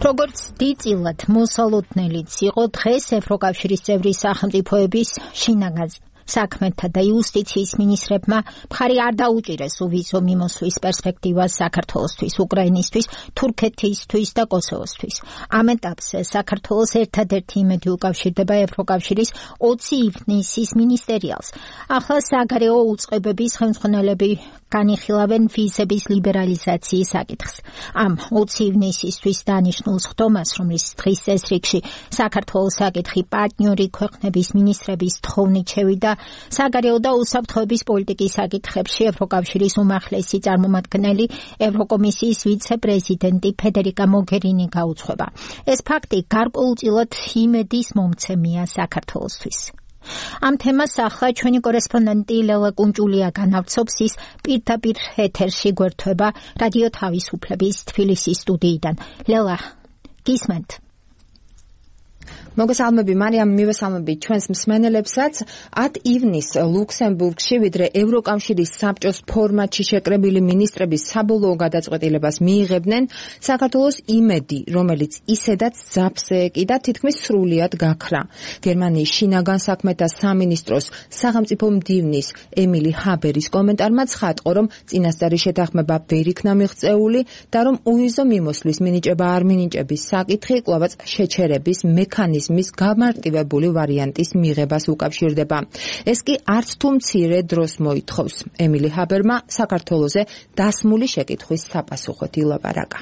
როგორც დიდწილად მოსალოდნელიც იყო დღეს ევროკავშირის წევრი სახელმწიფოების შინაგან საქმეთა და იუსტიციის მინისტრებმა მხარი არ დაუჭირეს უვიზო მიმოსვლის პერსპექტივას საქართველოსთვის, უკრაინისთვის, თურქეთისთვის და კოსოვოსთვის. ამ ეტაპზე საქართველოს ერთადერთი იმედი უკავშირდება ევროკავშირის 20 ივნისის მინისტერიალს. ახლა საგარეო უწყებების ხელმძღვანელები განიხილავენ ვიზების ლიბერალიზაციის საკითხს. ამ 20 ივნისისთვის დანიშნულს ხდომას, რომლის დღის წესრიგში საქართველოს საკითხი პარტნიორი ქვეყნების მინისტრების თხოვნით შევიდა, საგარეო და უსაფრთხოების პოლიტიკის საკითხებში ევროკავშირის უმაღლესი წარმომადგენელი ევროკომისიის ვიცე-პრეზიდენტი ფედერიკა მოგერინი გაუძღვება. ეს ფაქტი გარკვეულწილად იმედის მომცემია საქართველოსთვის. ამ თემას ახლა ჩვენი კორესპონდენტი ლელა კუნჭულია განავრცობს, ის პირდაპირ ეთერში გვერდება რადიო თავისუფლების თბილისის სტუდიიდან. ლელა, გისმენთ? მოგესალმები მარიამ, მივესალმები ჩვენს მსმენელებსაც. 10 ივნისს ლუქსემბურგში, ვიდრე ევროკავშირის საბჭოს ფორმატში შეკრებილი მინისტრების საბოლოო გადაწყვეტილებას მიიღებდნენ, საქართველოს იმედი, რომელიც ისედაც ძაფზე ეკიდა, თითქმის სრულიად გაქრა. გერმანიის შინაგან საქმეთა სამინისტროს სახელმწიფო მდივნის ემილი ჰაბერის კომენტარმა ცხადყო, რომ წინასწარი შეთანხმება ვერ იქნა მიღწეული და რომ უვიზო მიმოსვლის მინიჭება არ მინიჭების საკითხი კვლავაც შეჩერების მექანიზმის გამარტივებული ვარიანტის მიღებას უკავშირდება. ეს კი არც თუ მცირე დროს მოითხოვს. ემილი ჰაბერმა საქართველოზე დასმული შეკითხვის საპასუხოდ ილაპარაკა.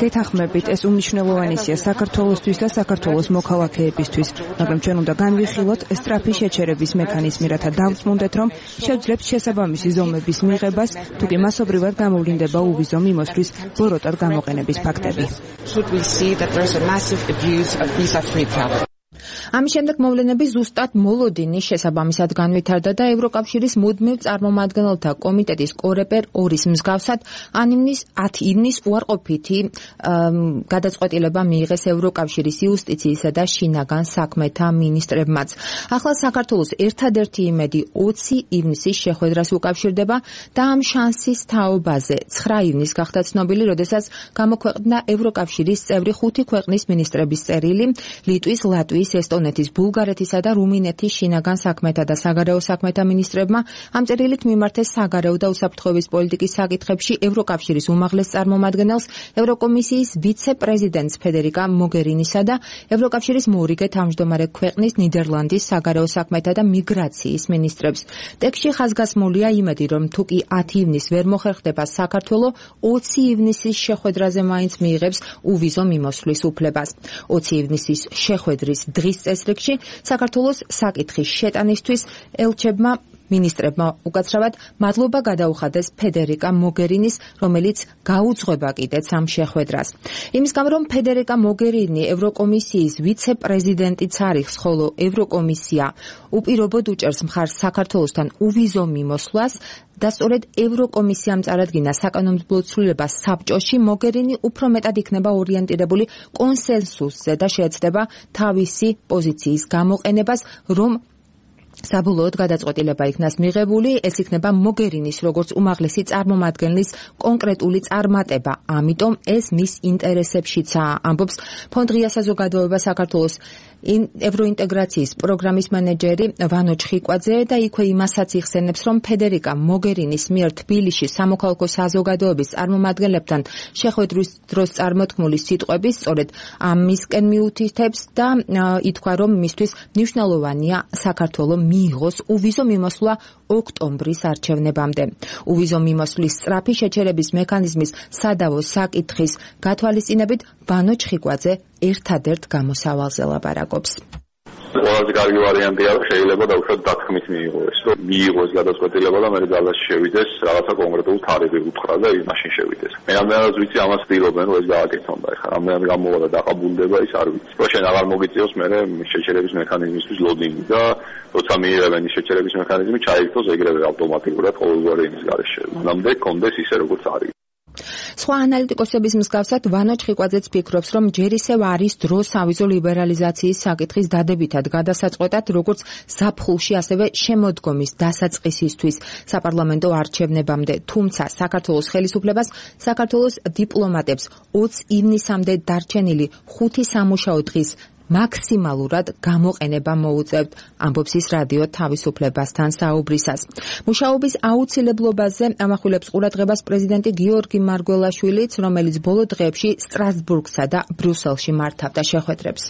გეთანხმებით, ეს უმნიშვნელოვანესია საქართველოსთვის და საქართველოს მოქალაქეებისთვის, მაგრამ ჩვენ უნდა განვიხილოთ სწრაფი შეჩერების მექანიზმი, რათა დავწმუნდეთ, რომ შევძლებთ შესაბამისი ზომების მიღებას, თუ კი მასობრივად გამოვლინდება უვიზო მიმოსვლის ბოროტად გამოყენების ფაქტები. ამის შემდეგ მოვლენები ზუსტად მოლოდინის შესაბამისად განვითარდა და ევროკავშირის მუდმივ წარმომადგენელთა კომიტეტის კორეპერ 2-ის მსგავსად 10 ივნის უარყოფითი გადაწყვეტილება მიიღეს ევროკავშირის იუსტიციისა და შინაგან საქმეთა მინისტრებმაც. ახლა საქართველოს ერთადერთი იმედი 20 ივნისის შეხვედრას უკავშირდება და ამ შანსის თაობაზე 9 ივნის გახდა ცნობილი, როდესაც გამოქვეყნდა ევროკავშირის წევრი 5 ქვეყნის მინისტრების წერილი ლიტვის, ლატვიის, ესტონეთის, ბულგარეთისა და რუმინეთის შინაგან საქმეთა და საგარეო საქმეთა მინისტრებმა ამ წერილით მიმართეს საგარეო და უსაფრთხოების პოლიტიკის საკითხებში ევროკავშირის უმაღლეს წარმომადგენელს, ევროკომისიის ვიცე-პრეზიდენტს ფედერიკა მოგერინისა და ევროკავშირის მორიგე თავმჯდომარე ქვეყნის ნიდერლანდის საგარეო საქმეთა და მიგრაციის მინისტრებს. ტექსტში ხაზგასმულია იმედი, რომ თუ კი 10 ივნისს ვერ მოხერხდება საქართველო, 20 ივნისის შეხვედრაზე მაინც მიიღებს უვიზო მიმოსვლის უფლებას. 20 ივნისის შეხვედრის დღის წესრიგში საქართველოს საკითხის შეტანისთვის ელჩებმა მინისტრებმა უკაცრავად მადლობა გადაუხადეს ფედერიკა მოგერინის, რომელიც გაუძღვება კიდეც ამ შეხვედრას. იმის გამო, რომ ფედერიკა მოგერინი ევროკომისიის ვიცე-პრეზიდენტიც არის, ხოლო ევროკომისია უპირობოდ უჭერს მხარს საქართველოსთან უვიზო მიმოსვლას და სწორედ ევროკომისიამ წარადგინა საკანონმდებლო ცვლილება საბჭოში, მოგერინი უფრო მეტად იქნება ორიენტირებული კონსენსუსზე და შეეცდება თავისი პოზიციის გამოყენებას, რომ საბოლოოდ გადაწყვეტილება იქნას მიღებული, ეს იქნება მოგერინის როგორც უმაღლესი წარმომადგენლის კონკრეტული წარმატება. ამიტომ ეს მის ინტერესებშიცაა, ამბობს ფონდრია საზოგადოება საქართველოს ევროინტეგრაციის პროგრამის მენეჯერი ვანო ჩხიკვაძე და იქვე იმასაც იხსენებს, რომ ფედერიკა მოგერინის მიერ თბილისში სამოქალაქო საზოგადოების წარმომადგენლებთან შეხვედრის დროს წარმოთქმული სიტყვები სწორედ ამისკენ მიუთითებს და ითქვა, რომ მისთვის მნიშვნელოვანია საქართველოს მიიღოს უვიზო მიმოსვლა ოქტომბრის არჩევნებამდე. უვიზო მიმოსვლის სწრაფი შეჩერების მექანიზმის სადავო საკითხის გათვალისწინებით ვანო ჩხიკვაძე ერთადერთ გამოსავალზე ლაპარაკობს. ყველაზე კარგი ვარიანტია, რომ შეიძლება დაუშვათ დათქმით მიიღოს, რომ მიიღოს გადაწყვეტილება და მერე ძალაში შევიდეს რაღაცა კონკრეტულ თარიღი უთხრა და მაშინ შევიდეს. მე რამდენადაც ვიცი, ამას ცდილობენ, რომ ეს გააკეთონ და ეხლა რამდენად გამოვა და დაყაბულდება ის არ ვიცი. რომ შენ აღარ მოგიწევს მერე შეჩერების მექანიზმისთვის ლოდინგი და როცა მიიღებენ ის შეჩერების მექანიზმი, ჩაიგდოს ეგრევე ავტომატურად ყოველგვარი იმის გარეშე. მანამდე კონდეს ისე როგორც არის. სხვა ანალიტიკოსების მსგავსად ვანო ჩხიკვაძეც ფიქრობს, რომ ჯერ ისევ არის დრო სავიზო ლიბერალიზაციის საკითხის დადებითად გადასაწყვეტად, როგორც ზაფხულში, ასევე შემოდგომის დასაწყისისთვის საპარლამენტო არჩევნებამდე. თუმცა საქართველოს ხელისუფლებას, საქართველოს დიპლომატებს 20 ივნისამდე დარჩენილი 5 სამუშაო დღის მაქსიმალურად გამოყენება მოუწევთ, ამბობს ის რადიო თავისუფლებასთან საუბრისას. მუშაობის აუცილებლობაზე ამახვილებს ყურადღებას პრეზიდენტი გიორგი მარგველაშვილიც, რომელიც ბოლო დღეებში სტრასბურგსა და ბრიუსელში მართავდა შეხვედრებს.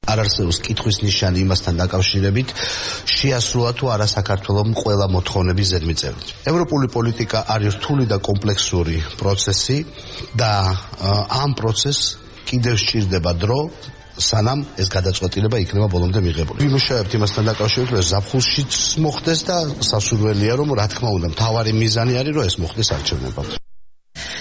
არ არსებობს კითხვის ნიშანი იმასთან დაკავშირებით, შეასრულა თუ არა საქართველოს ყველა მოთხოვნების ზედმიწევრით. ევროპული პოლიტიკა არის რთული და კომპლექსური პროცესი და ამ პროცესს კიდევ სჭირდება დრო, სანამ ეს გადაწყვეტილება იქნება ბოლომდე მიღებული. ვიმუშავებთ იმასთან დაკავშირებით, რომ ზაფხულშიც მოხდეს და სასურველია, რომ რა თქმა უნდა, მთავარი მიზანი არის, რომ ეს მოხდეს არჩევნებამდე.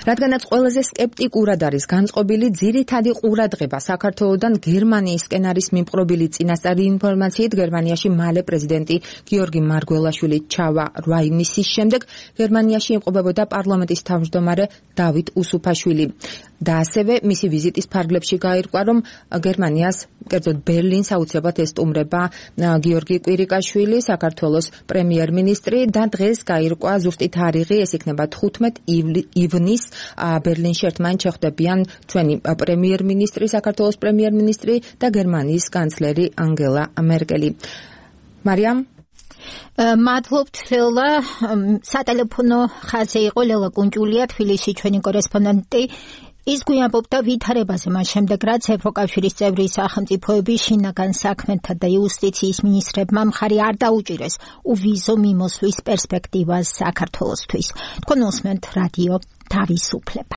რადგანაც ყველაზე სკეპტიკურად არის განწყობილი ძირითადი ყურადღება საქართველოდან გერმანიისკენ არის მიმყრობილი წინასწარი ინფორმაციით, გერმანიაში მალე პრეზიდენტი გიორგი მარგველაშვილი ჩავა 8 ივნისის შემდეგ, გერმანიაში იმყოფებოდა პარლამენტის თავმჯდომარე დავით უსუფაშვილი. და ასევე მისი ვიზიტის ფარგლებში გაირკვა, რომ გერმანიას, კერძოდ ბერლინს აუცილებლად ესტუმრება გიორგი კვირიკაშვილი, საქართველოს პრემიერ-მინისტრი და დღეს გაირკვა ზუსტი თარიღი, ეს იქნება 15 ივნის. ბერლინში ერთმანეთს შეხვდებიან ჩვენი პრემიერ-მინისტრი, საქართველოს პრემიერ-მინისტრი და გერმანიის კანცლერი ანგელა მერკელი. მარიამ მადლობთ ლელა. სატელეფონო ხაზი იყო ლელა კუნჭულია, თბილისში ჩვენი კორესპონდენტი. ის გვიამბობდა ვითარებაზე მას შემდეგ, რაც ევროკავშირის წევრი სახელმწიფოების შინაგან საქმეთა და იუსტიციის მინისტრებმა მხარი არ დაუჭირეს უვიზო მიმოსვლის პერსპექტივას საქართველოსთვის. თქვენ უსმენთ რადიო თავისუფლება.